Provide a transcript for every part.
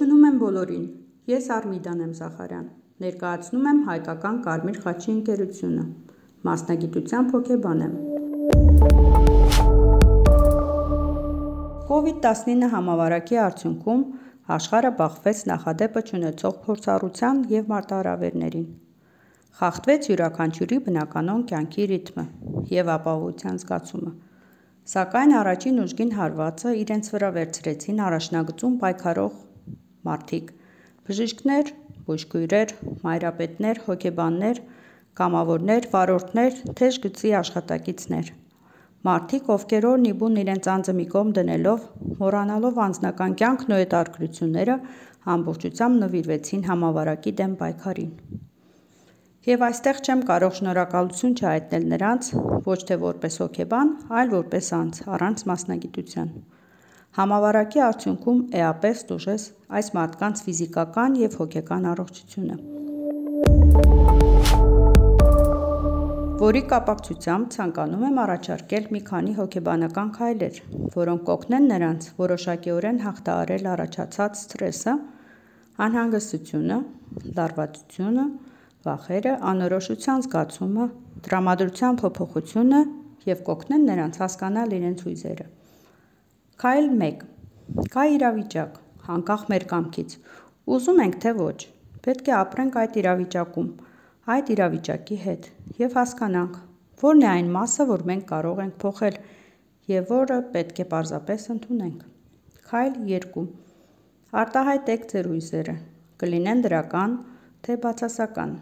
Ողջունում եմ բոլորին, ես Արմիդան եմ Զախարյան, ներկայացնում եմ հայկական Կարմիր խաչի ընկերությունը, մասնագիտությամբ հոգեբան եմ։ COVID-19 համավարակի արդյունքում աշխարհը բախվեց նախադեպը չունեցող փորձառության և մարտահրավերներին։ Խախտվեց յուրաքանչյուրի բնականոն կյանքի ռիթմը և ապահովության զգացումը, սակայն առաջին ուժգին հարվածը իրենց վրա վերցրեցին առաջնագծում պայքարող մարդիկ՝ բժիշկներ, բուժքույրեր, մայրապետներ, հոգեբաններ, կամավորներ, վարորդներ, թեժ գծի աշխատակիցներ։ Մարդիկ, ովքեր օրն ի բուն իրենց անձը մի կողմ դնելով, մոռանալով անձնական կյանքն ու հետաքրքրությունները, ամբողջությամբ նվիրվեցին համավարակի դեմ պայքարին։ Եվ այստեղ չեմ կարող շնորհակալություն չհայտնել նրանց ոչ թե որպես հոգեբան, այլ որպես անձ, առանց մասնագիտության։ Համավարակի արդյունքում էապես տուժեց այս մարդկանց ֆիզիկական և հոգեկան առողջությունը, որի կապակցությամբ ցանկանում եմ առաջարկել մի քանի հոգեբանական քայլեր, որոնք կօգնեն նրանց որոշակիորեն հաղթահարել առաջացած սթրեսը, անհանգստությունը, լարվածությունը, վախերը, անորոշության զգացումը, տրամադրության փոփոխությունը և կօգնեն նրանց հասկանալ իրենց հույզերը։ Քայլ 1. Կա իրավիճակ, անկախ մեր կամքից, ուզում ենք թե ոչ, պետք է ապրենք այդ իրավիճակում, այդ իրավիճակի հետ և հասկանանք, որն է այն մասը, որ մենք կարող ենք փոխել և որը պետք է պարզապես ընդունենք։ Քայլ 2. Արտահայտեք ձեր հույզերը, կլինեն դրական, թե բացասական։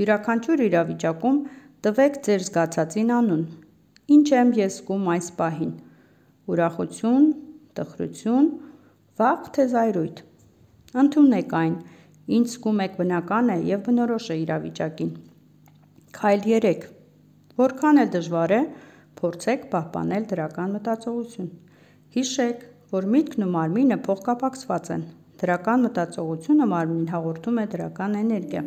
Յուրաքանչյուր իրավիճակում տվեք ձեր զգացածին անուն։ Ինչ եմ ես զգում այս պահին՝ ուրախություն, տխրություն, վախ, թե զայրույթ։ Ընդունեք այն, ինչ զգում եք բնական է և բնորոշ է իրավիճակին։ Քայլ 3. Որքան էլ դժվար է, փորձեք պահպանել դրական մտածողություն։ Հիշեք, որ միտքն ու մարմինը փոխկապակցված են։ Դրական մտածողությունը մարմնին հաղորդում է դրական էներգիա։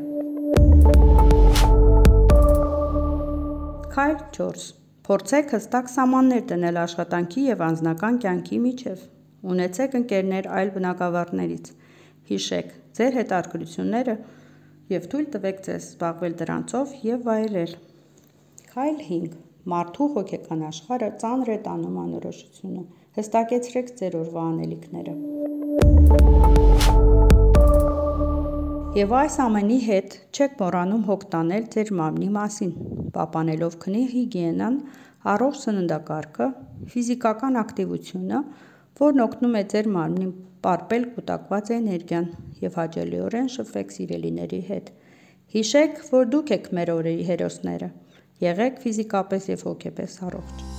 Քայլ 4. Փորձեք հստակ սահմաններ դնել աշխատանքի և անձնական կյանքի միջև։ Ունեցեք ընկերներ այլ բնագավառներից։ Հիշեք ձեր հետաքրքրությունները և թույլ տվեք ձեզ զբաղվել դրանցով և վայելել։ Քայլ 5. Մարդու հոգեկան աշխարհը ծանր է տանում անորոշությունը։ Հստակեցրեք ձեր օրվա անելիքները։ Եվ այս ամենի հետ չեք մոռանում հոգ տանել ձեր մարմնի մասին, պահպանելով քնի հիգիենան, առողջ սննդակարգը, ֆիզիկական ակտիվությունը, որն օգնում է ձեր մարմնին պարպել կուտակված էներգիան և հաճելիորեն շփվեք սիրելիների հետ։ Հիշեք, որ դուք եք մեր օրերի հերոսները։ Եղեք ֆիզիկապես և հոգեպես առողջ։